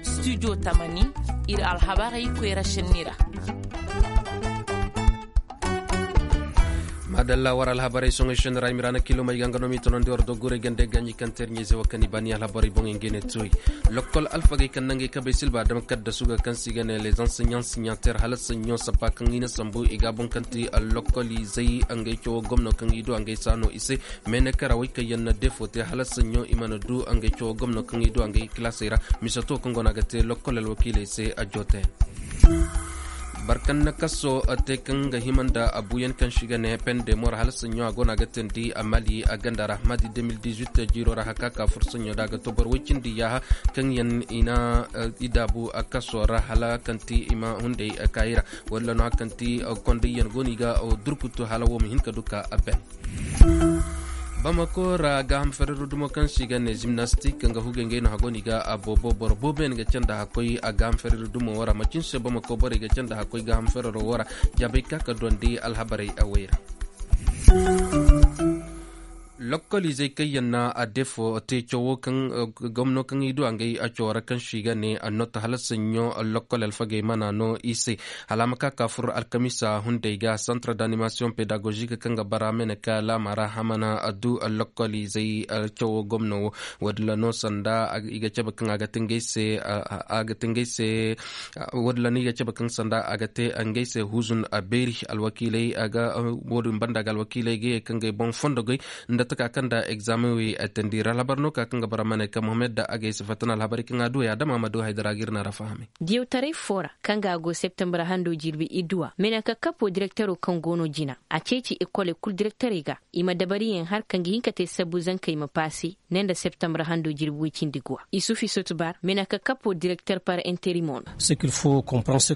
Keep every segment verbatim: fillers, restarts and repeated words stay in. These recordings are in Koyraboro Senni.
Studio tamani, ir alhabarey koyra šenni ra. Maadalla war alhabarey soŋey šenni ra i ma ra na kilo may ga nga no m'i tonandi war dogguray gande gaɲi kaŋ teer ɲayze wo kaŋ i baani alhabarey boŋey nga i ne tuwey. Lokkol alfagey kaŋ na ngey kabey silba adama kaddasu ga kaŋ se i ga ne les enseignants signataires hala saɲɲo sappa kaŋ i na sambu i ga a boŋ kaŋ ti lokkol izey ngey cawo gomno kaŋ i du ngey saano i se. Meenekarawey kaŋ yaŋ na defo te hala saɲɲo i mana du ngey cawo gomno kaŋ i du ngey kilaasey ra. Mise to kaŋ go no a ga te lokkol alwakiiley se a jootayaŋ. Barkan na kaso te kaŋ ga hima nda abuyaŋ kaŋ se i ga ne pende mor hala saɲɲo a go no a ga teendi a mali a ganda ra maadi deux mille dix-huit jiiro ra haka ka fur saɲɲo da a ga to boro woy cindi yaaha kaŋ yaŋ i na i daabu a kaso ra hala kaŋ ti i ma hunday kaayi ra. Walla no haka kaŋ ti kondayyaŋ go no i ga durkutu hala wo ma hin ka du ka a ben. Bamako ra gaaham ferero dumo kaŋ se i ga ne zimnastik nga hugey ngey no hago no i ga a boobo boro boobo yaŋ ga canda hakkoy a gaaham ferero dumo wo ra macin se bamako borey ga canda hakkoy gaaham ferero wo ra. Jaabey ka ka duwandi alhabarey awey ra. Lokkoliizey kaŋ yaŋ na a defo te cawo kaŋ gomno kaŋ i du a ngey a cawo ra kaŋ se i ga ne a noota hala saɲɲo. Lokkol alfagey mana no i se hala a ma ka ka fur alkamiisa hunday ga centre d'animation pedagogique kaŋ ga bara mene ka laama ra hamana a du lokkoliizey cawo gomno wo. Wadilla no sanda i ga cabe kaŋ a ga te ngey se a ga te ngey se wadilla no i ga cabe kaŋ sanda a ga te ngey se huzun a beeri alwakiiley a ga woodin banda ga alwakiiley ga ye kaŋ ga ay boŋ fondo goy nda taka kaŋ nda egzaameŋ wey a teendi ra alhabar no ka kaŋ ga bara mene ka mohammed da a ga ay si fatta na alhabarey kaŋ a du ya dama ma du haydara ga ir na ra fahamay. Diyawtaray foo ra kaŋ ga a go septembar hando jirbi idduwa meenaka kapo direktero kaŋ go no jina a ceeci ekoley kul direkterey ga i ma dabariyaŋ har kaŋ ga hin ka te sabbu zankey ma paase ne nda septembar hando jirbi woy cindi guwa isufi sotbar meenaka kapo direkter par interimo no.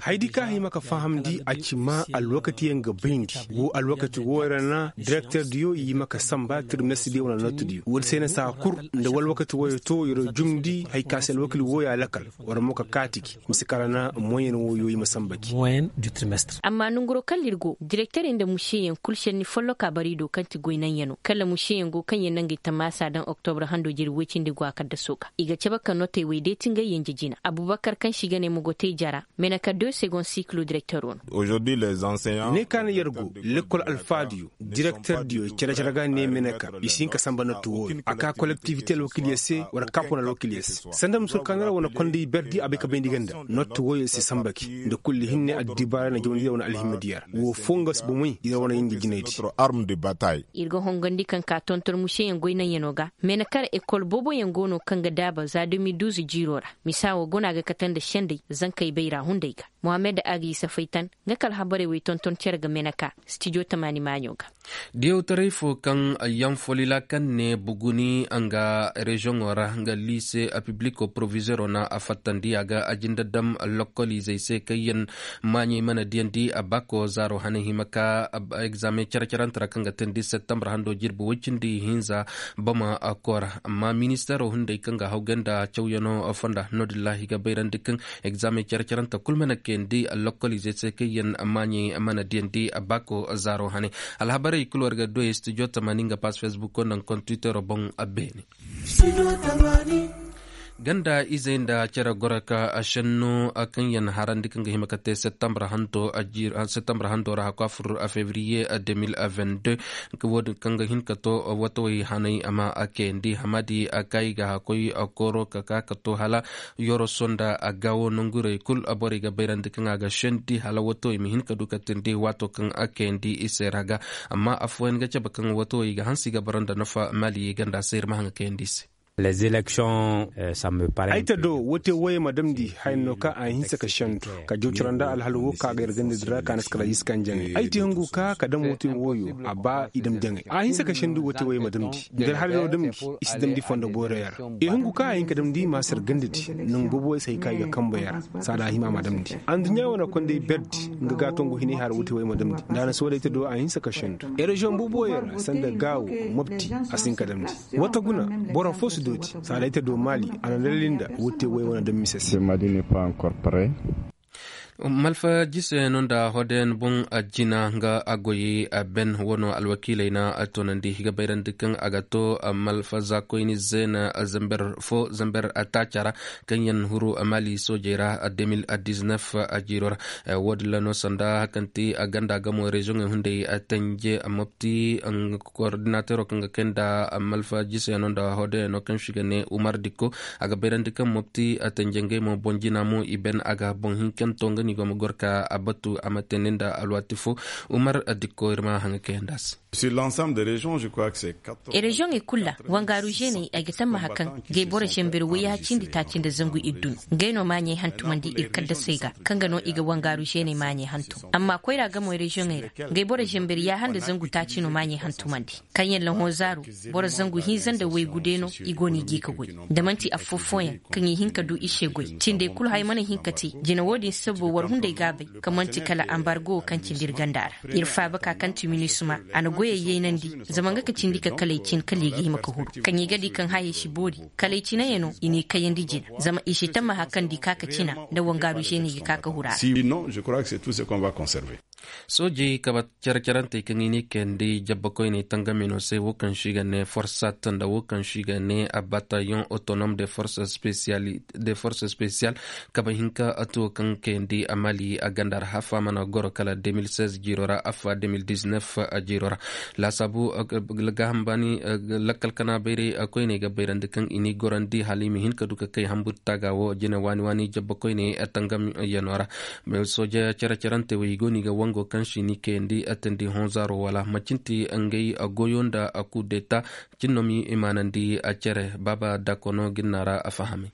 Haydi kaŋ a hima ka fahamndi a ci ma alwakatiyaŋ ga bayndi wo alwakati wooyo ra na direkter diyo i hima ka samba tirmesti diyo wane notti diyo woodi se na saa kul nda walwakati wooyo to yer jumndi hari ka se alwakil wooyo a lakal war mo ka kaati gi mise kala na moyen wooyo i ma samba gi. Amma nonguroo kala ir go direkterey nda museyaŋ kul šenni folloka bari do kaŋ ti goy naŋyanoo kala museyaŋ go kaŋ yaŋ na ngey tamaasa daŋ oktobre hando jiri woy cindi go a kaddasoo ga i ga cabe ka notey wey deeti ngey yanje jina abubakar kaŋ se i ga ne mogotey jara meenaka deux segon sikilo direkteroo no. Ne ka na yer go lekkol alfaadiyo direkter diyo cere-cere ga ne meenaka i si hin ka samba notti wooyo a ka kolektivite alwakilyo se wala kaapon alwakilyo se sanda musur ka na ra wane konday berdi a bay ka bayndi ga nda notti wooyo se samba gi nda kulli hinne addibaara na jawandi ra wane alhimma diya ra woo foo nga si bomey yer wane yinji jinaydi. Ir ga hongandi kaŋ ka tonton museyaŋ goy naŋyanoo ga meenaka ra ekol booboyaŋ go no kaŋ ga daaba za deux mille douze jiiroo ra misa woo go no a ga kate nda sendey zankey bayra hunday ga. Mohammed a ga i safaytan nga ka alhabarey wey tonton cere ga meenaka stijo tamaani maaɲo ga. Diyawtaray foo kaŋ yanfolila kaŋ ne buguni nga reziyoŋo ra nga liise pibliko porovizeeroo na a fattandi a ga a jinde dam lokkoliizey se kaŋ yaŋ maaɲey mana diyandi a baako zaaro hane hima ka egzaameŋ cere-cerante ra kaŋ ga teendi septembar hando jirbi woy cindi hinza bama koora amma ministeeroo hunday kaŋ ga hawgay nda cawyanoo fonda no-din ra i ga bayrandi kaŋ egzaameŋ cere-cerante kul mana kayandi lokkoliizey se kaŋ yaŋ maaɲey mana diyandi baako zaaro hane. Alhabarey kul war ga doy studio tamaani nga pass facebook nda nga kontwitero boŋ. Beene ganda izey nda cere goro ka shenno kaŋ yaŋ harandi kaŋ ga hima ka te septembre hanto ra hakwa fur a fevriye deux mille vingt-deux. Woodin kaŋ ga hin ka to watawey hanay a ma kayandi hamadi a kay ga hakoy kooro ka ka ka to hala yoroso nda a gaawo nongurey kul borey ga bayrandi kaŋ a ga sendi hala watawey ma hin ka du ka tindi waato kaŋ a kayandi i se ra ga. Amma affooyaŋ ga cabe kaŋ watawey ga hanse i ga bara nda nafa mali ganda se ir ma haŋ ga kayandi i se. Ay ta do wate wooyey ma damndi haya no ka a hinse ka sendu ka jawcira nda alhal woo ka ga yar ganda din ra ka na si kala iska njaŋay ay ti hungu ka ka dam wate wooyo a ba i dam jaŋay a hinse ka sendu wate wooyey ma damndi nda alhal no damndi i si damndi fondo boorey ra. I hungu ka a hin ka damndi maasar ganda di nangu boobo wooyey se hay ka i ga kamba yar saada a hima ma damndi anduɲɲa wane konday berdi nga ga tongu hinay har wate wooyey ma damndi nda a na si wooyey ta do a hinse ka sendu. Ereziyoŋ boobo wooyey ra sanda gaawo mopti a si hin ka damndi. Wata guna boro foo si dooti saada ay ta do maali a na dalil nda wate wooyey wane dam mise se. Malfa jisayano nda hodayan boŋ, jina nga a goyey, ben wano alwakiiley na a toonandi ga bayrandi kaŋ a ga to malfa zaakoyni zeena zamber fo zamber taaca ra, kaŋ yaŋ huru mali soojey ra. Demil diznef jiiro ra. Wo- din ra no sanda kaŋ ti ganda gamo reziyoŋey hunday, tenje mopti koordinateero kaŋ ga kay nda malfa jisayano nda hodayano kaŋ se i ga ne umar dikko. A ga bayrandi kaŋ mopti tenje ngey mo boŋ jina mo i ben a ga boŋ hinkanto nga no i go ma goro ka a batu a ma teendi nda alwaati fo. Umar dikko ir ma haŋa kayandi a se. Reziyoŋey kulu ra wangaaru zeeney ay ga tammaha kaŋ gay boro zamber wayyaha cindi taaci nda zangu iddu no. Ngey no maaɲey hantumandi ir kaddasey ga kaŋ ga no i ga wangaaru zeeney maaɲey hantum amma koyra gamoy reziyoŋey ra. Gay boro zamber yaaha nda zangu taaci no maaɲey hantumandi. Kaŋ yaŋ lahozaaro boro zangu hinza nda waygu day no i go no i g'i ka goy. Da man'ti affoo fooyaŋ kaŋ i hin ka du i se goy cindey kulu hay mana hin ka te. Jina wo-din sabo war hunday gaabay kaŋ man'ti kala ambargo wo kaŋ cindi ir ganda ra. Ir faaba ka kaŋ ti minisma a na goyey yaynandi. Zama nga ka cindi ka kala ay cin kala i ga hima ka huru kaŋ i ga di kaŋ hayey si boori kala ay cinayano i n'i kayandi jina. Zama i si tammaha kaŋ di ka ka cina nda wangaaru zeeney ga ka ka huru a ra. Soojey kabe care-carantey kaŋ i n'i kayandi jabba koyney tangamino se wo kaŋ se i ga ne forsat nda wo kaŋ se i ga ne batayon otonom de force spesiyal kabe hinka tuwo kaŋ kayandi a mali a ganda ra hafa mana goro kala de mil seize jiiro ra afa de mil diznef jiiro ra. Laasaabu gaaham baani lakkal kana bayray koyney ga bayrandi kaŋ i n'i gorandi hala i ma hin ka du ka kay hambur taaga wo jine waani waani jabba koyney tangam yano ra. Sooja care-carante wo i go no i ga wango kaŋ se i n'i kayandi atandi honzaaro wala macin ti ngey goyo nda kudeta. Cin no ma i maanandi a care baaba dakono ga ni na ra a fahamay.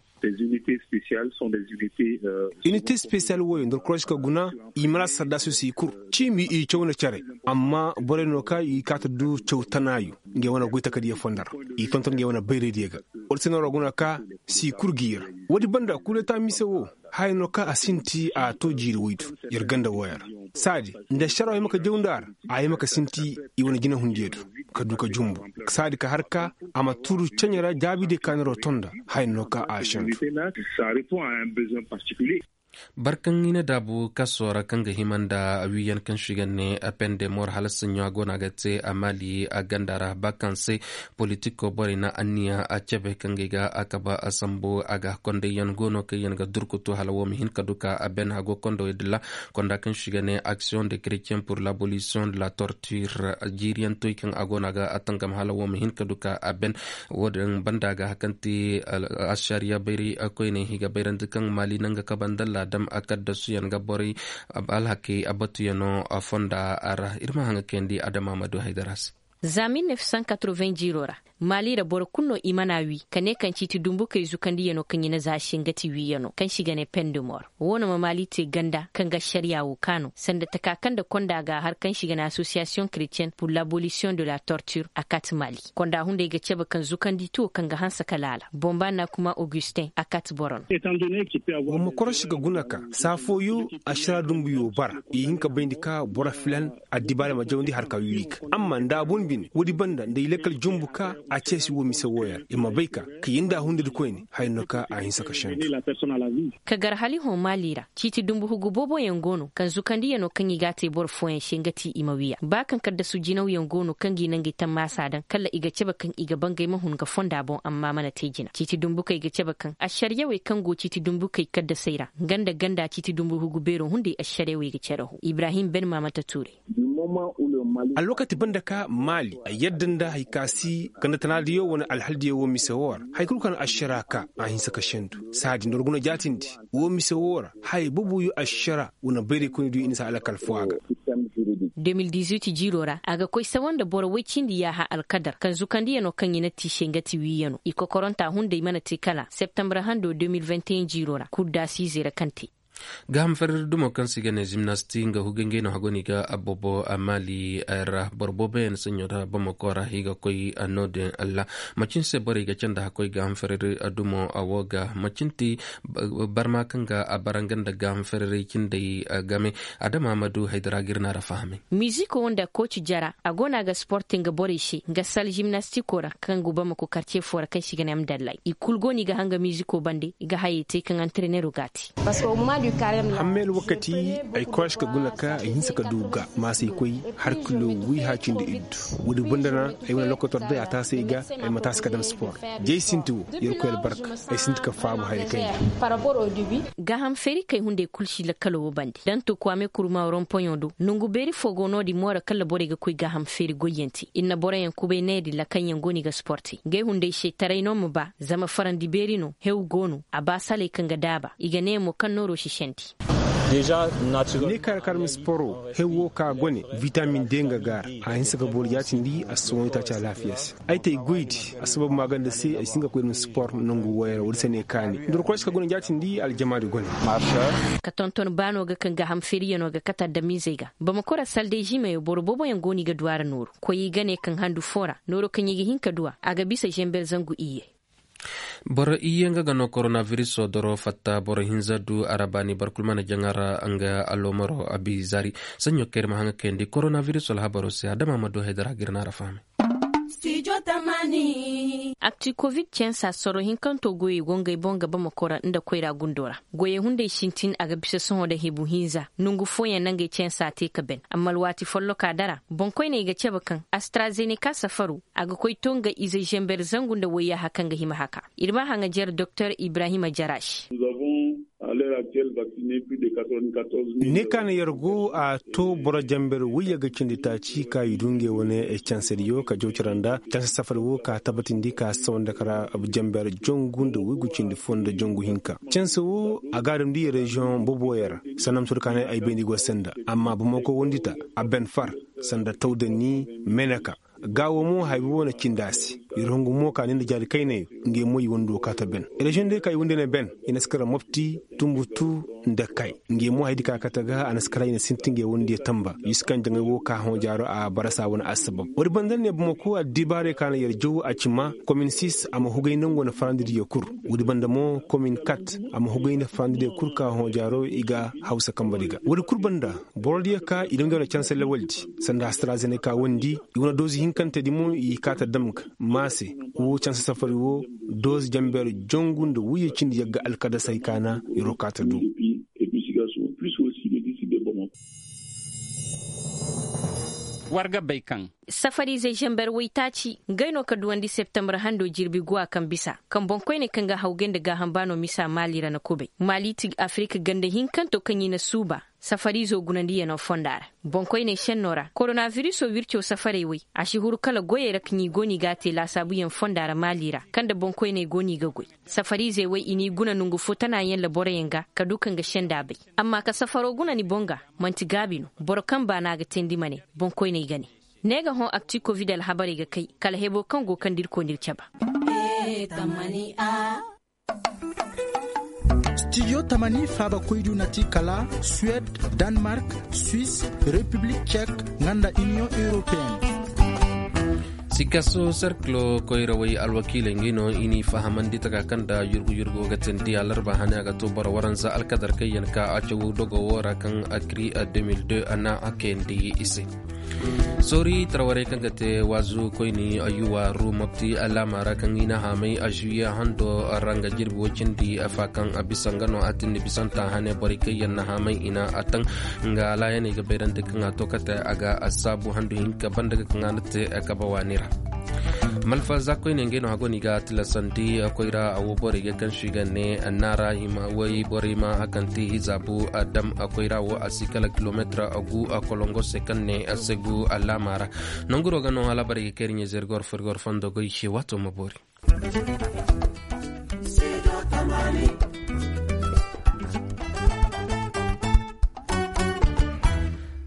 Inite spesiyal wooyo nda koroška guna i mara sardaasiyo se i kul. Ciimi i caw nda care amma borey no ka i kaati du caw tanaayo. Ngey wane goy takadiyo fonda ra i tonton ngey wane bayraydiyo ga. War se no ra guna ka se i kul g'i ra. Woodi banda kudeta mise wo haya no ka a sinti a to jiiri woydu. Yer ganda wooyo ra saadi nda ašara wo hima ka jaw nda a ra a hima ka sinti i wane jinahundiyo du ka du ka jumbu saadi ka har ka a ma turu ceɲe ra jaabidiyo ka ni ro tonda. Haya no ka a ašandu. Barkaŋ i na daabu kaso ra kaŋ ga hima nda wiiyan kaŋ se i ga ne pende mor hala saɲɲo a go no a ga te a maali a ganda ra ba kaŋ se politiko borey na anniya a cebe kaŋ ga i ga a kaba a sambu a ga kondayyaŋ go no kaŋ yaŋ ga durkutu hala wo ma hin ka du ka a ben hago kondowey dilla. Konda kaŋ se i ga ne aksiyoŋ de kretien pur labolisiyoŋ de la tortir jiiriyaŋ toy kaŋ a go no a ga a tangam hala wo ma hin ka du ka a ben. Wo- din banda ga hari kaŋ ti ašariya bayray koyney i ga bayrandi kaŋ maali naŋ ga kaba nda laadam a kaddasuyaŋ ga borey alhakey a batuyano fonda ra ir ma haŋa kayandi adama ma du haydara se. Za mil nef san katroven jiiro ra maali ra boro kulu no i mana wii ka ne kaŋ ciiti dumbukey zukandiyano kaŋ i na za se nga ti wiiyano kaŋ se i ga ne pendemor. Wo no ma maali te ganda kaŋ ga ašariya wo kaanu sanda taka kaŋ nda konda ga har kaŋ se i ga ne asosiyasiyoŋ kretien pur labolisiyoŋ de la tortir a kaati maali. Konda hunday ga cebe kaŋ zukandi tuwo kaŋ ga hanse ka laala bomba na kuma augustin a kaati boro no. Wa ma korosi ga guna ka saa fooyo ašara dumbuyo bara i hin ka bayndi ka boro filan addibaale ma jawandi har ka wiwi ga amma nda a boŋ bine woodi banda nda i lakkal jumbu ka a ceesi wo mise wooyo ra i ma bay ka ka yinda a hundadi koyne haya no ka a hinsa ka sendu. Ka gar hali hõ maali ra ciiti dumbu hugu booboyaŋ go no kaŋ zukandiyano kaŋ i g'a te boro fooyaŋ se nga ti i ma wiya ba kaŋ kaddasu jinawyaŋ go no kaŋ ga i naŋ ga i tammaasa daŋ kala i ga cabe kaŋ i ga bangay ma hun ga fonda boŋ amma mana te jina ciiti dumbukey ga cabe kaŋ ašariyawey kaŋ go ciiti dumbukey kaddasey ra nga nda ganda ciiti dumbu hugu beero hunday ašariyawey ga care hõ ibrahim ben maamata tuuray. Alwakati banda ka maali a yadda nda hari ka si ganda tanaadiyo wane alhaldiyo wo mise wo ra hari kulu kaŋ ašara ka a hinsa ka sendu saadi nda war guna jaatindi wo mise wo ra haya booboyo ašara wane bayraykoynidiyo i na si alakal fo a ga. De mil dizuit jiiro ra a ga koy sawa nda boro woy cindi yaaha alkadar kaŋ zukandiyano kaŋ i na te i se nga ti wiiyano i kokoranta hunday mana te kala septembre hando de mil vingt et un jiiro ra kuddaasiizey ra kaŋ te. Gaaham fereri dumo kaŋ se i ga ne zimnasti nga huga ngey no hago no i ga aboobo a maali ra boro booboyaŋ saɲɲo ra bamako ra i ga koy no-din ra. Macin se borey ga canda hakkoy gaaham fereri dumo wo ga macin ti barma kaŋ ga a bara nga nda gaaham fereri cindey game. Adama ma du haydara ga ir na ra fahamay. Miziko nda kooci jara a go no a ga sporte nga borey se nga sal zimnastiko ra kaŋ go bamako karce fo ra kaŋ se i ga ne amdallay i kulu go no i ga hanga miziko bande i ga hayey te kaŋ antrenero ga a te. Hammeel wakati ay koy a si ka guna ka ay hinsa ka du ga maasey koy har kilo wiiha cindi iddu. Woodi banda na ay wane lokotor day a taasay ga ay ma taasi ka dam spor. Jay sinti wo, yerkoy albarka, ay sinti ka faabu haya kayna. Gaaham feeri kay hunday kul si lakkaloo wo bande dantu kuwame kurma rompoyoo do nongu beeri foo go no-din moora kalla borey ga koy gaaham feeri goyyaŋ te ir na boroyaŋ kubay needi lakalyaŋ go no i ga spor te ngey hunday se taray no ma ba. Zama farandi beeri no hew go no a ba saley kaŋ ga daaba i ga ne mo kaŋ nooro si sendi. Ne kaara kaara ma sporo hew wo ka gone, vitamin de nga gaara a hinsa ga boro jaatindi a si sohõ itaaci alaafiya se. Ay te ay goydi a sabab maaganda se ay si hin ka koy ir ma spor nangu wooyey ra woodi se ne kaani nda war koy si ka gone jaatindi aljamaadi gone. Ka tonton baano ga kaŋ gaaham feeriyanoo ga kate adamizey ga. Bamakora salday žiimeyo boro booboyaŋ go no i ga du a ra nooru koyey ga ne kaŋ handu foo ra nooro kaŋ i ga hin ka du a a ga bisa žember zangu iyye. Boro iyye nga ga no koronabiriso doro fatta boro hinza du arabaani barkul mana jaŋa ra nga alomaro abi zari. Saɲɲo kayri ma haŋa kayandi koronabiriso alhabaro se adama ma du haydara ga ir na ara fahame. Akti covid cansa soro hinkanto goyey go ngey boŋ ga bamako ra nda koyra gundo ra. Goyey hunday sintin a ga bisa sohõ nda hebu hinza nongu fooyaŋ na ngey cansa te ka ben amma alwaati folloka dara boŋkoyney ga cabe kaŋ astrazenika safaru a ga koy to nga ize zember zangu nda wayyaaha kaŋ ga hima haka. Ir ma haŋajer doktor ibrahima jaraš. Ne ka na yer go a to boro jamber wayye ga cindi taaci ka i du ngey wane cansediyo ka jaw cara nda canse safari wo ka tabatindi ka sawanda kara jamber jongu nda waygu cindi fo nda jongu hinka. Canse wo a ga a damndi reziyoŋ boboyaŋ ra. Sanda ma sohõ ka ne ay bayndi go se nda amma bamako wondi ta a ben far sanda tawdani meneka. Gaawo mo haybi wo na cindi a se. Yer hungu mo ka ni nda jaari kaynayo. Ngey mo i wando ka ta ben reziyoŋ day ka i wande na ben i na si kara mopti tumbutu nda kay. Ngey mo haydi ka kate ga a na si kara i na sinti ngey wandiyo tamba yusu kaŋ jaŋay wo ka hõ jaaro a barasa wane assabab woodi banda ne bamako addibaaray ka na yer jaw a ci ma komin sis a ma hugay nangu wane farandidiyo kul. Woodi banda mo komin kat a ma hugay nda farandidiyo kul ka hõ jaaro i ga hawsa kambadi ga woodi kul banda. Borodiyo ka i dam ngey wane canse lawaldi sanda astrazenika wondi i wane doozi hinkantedi mo i kaata dam ga maase. Wo canse safari wo doozi jamber jongu nda wuyye cindi yagga alkadasey kaana. Yeroo kaata du. War ga bay kaŋ safariizey zember waytaaci ngey no ka duwandi septembre hando jirbi guwa kaŋ bisa kaŋ boŋkoyney kaŋ ga hawgay nda gaaham baano misa maali ra na kubay maali ti afirika ganda hinkanto kaŋ i na suuba. Safariizo gunandiyano fonda ra boŋkoyney šenno ra koronabiriso wirco safarey way a si huru kala goyey ra kaŋ i go no i ga a te laasaabuyaŋ fonda ra maali ra kaŋ nda boŋkoyney go no i ga goy. Safariizey way i n'i guna nongu fo tanaayaŋ laboroyaŋ ga ka du kaŋ ga senda bay. Amma ka safaro guna ni boŋ ga man'ti gaabi no. Boro kaŋ baana ga teendi ma ne boŋkoyney ga ne. Ne ga hõ akti kovid alhabarey ga kay kala hebo kaŋ go kaŋ da irkoy n'ir caba. Stijo tamani faabakoydu na ti kala suwed, danmark, swis, repiblik cek, nga nda iniyoŋ europeen. Sikaso serkilo koyrawey alwakiiley ngi no i n'i fahamandi taka kaŋ nda yurgu yurgu ga teendi alarba hane a ga to boro waranza alkadar kaŋ yaŋ ka a caw dogo wo ra kaŋ akri deux mille deux a na a kayandi i se. Soori tarawarey kaŋ ga te waazu koyni ayuwa ru mopti alaama ra kaŋ i na haamay a zuwiye hando ra nga jirbi woy cindi afa kaŋ a bisa nga no a tindi bisanta hane borey kaŋ yaŋ na haamay i na a taŋ. Nga alaayaney ga bayrandi kaŋ a to kate a ga a saabu handu hinka banda ga kaŋ a na te kabe waani ra. Malfa za koyne ngey no hago no i ga a tilasandi koyra a wo borey ga kaŋ se i ga ne naara hima woy borey ma a kaŋ te i zaabu a dam a koyra wo a si kala kilometir a gu a kolongo se kaŋ ne a segu alaama ra. Nanguro ga no hala borey ga kay iri ɲezeeri goro fo iri goro fondo goy se waato ma boori.